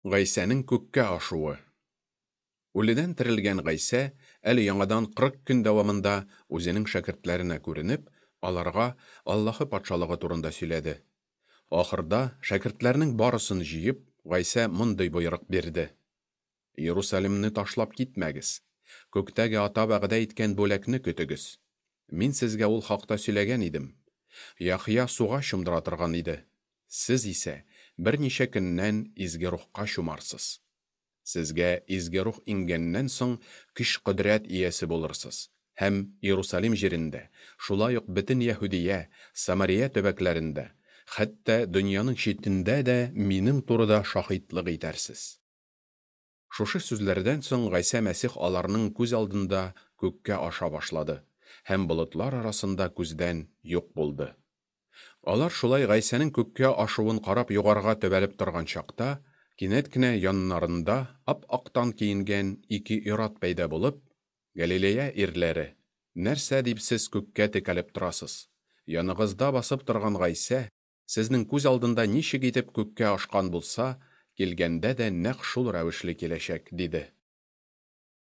Гайсәнең күккә ашуы. Үледән терелгән Гайсә әле яңадан 40 көн дәвамында үзенең шәкертләренә күренеп, аларга Аллаһы Патшалыгы турында сөйләде. Ахырда, шәкертләрнең барысын җыеп, Гайсә мондый боерык бирде: Иерусалимны ташлап китмәгез. Күктәге Ата вәгъдә иткән бүләкне көтегез. Мин сезгә ул хакта сөйләгән идем. Яхъя суга чумдыра торган иде. Сез исә берничә көннән Изге Рухка чумарсыз. Сезгә Изге Рух иңгәннән соң көч-кодрәт иясе булырсыз һәм Иерусалим җирендә, шулай ук бөтен Яһүдия, Самария төбәкләрендә, хәтта дөньяның читендә дә минем турыда шаһитлык итәрсез. Шушы сүзләрдән соң Гайсә Мәсих аларның күз алдында күккә аша башлады һәм болытлар арасында күздән юк булды. Алар шулай Гайсәнең күккә ашуын карап югарыга төбәлеп торган чакта, кинәт кенә яннарында ап-актан киенгән ике ир-ат пәйда булып, Галилея ирләре, нәрсә дип сез күккә текәлеп торасыз? Яныгызда басып торган Гайсә, сезнең күз алдында ничек итеп күккә ашкан булса, килгәндә дә нәкъ шул рәвешле киләчәк, диде.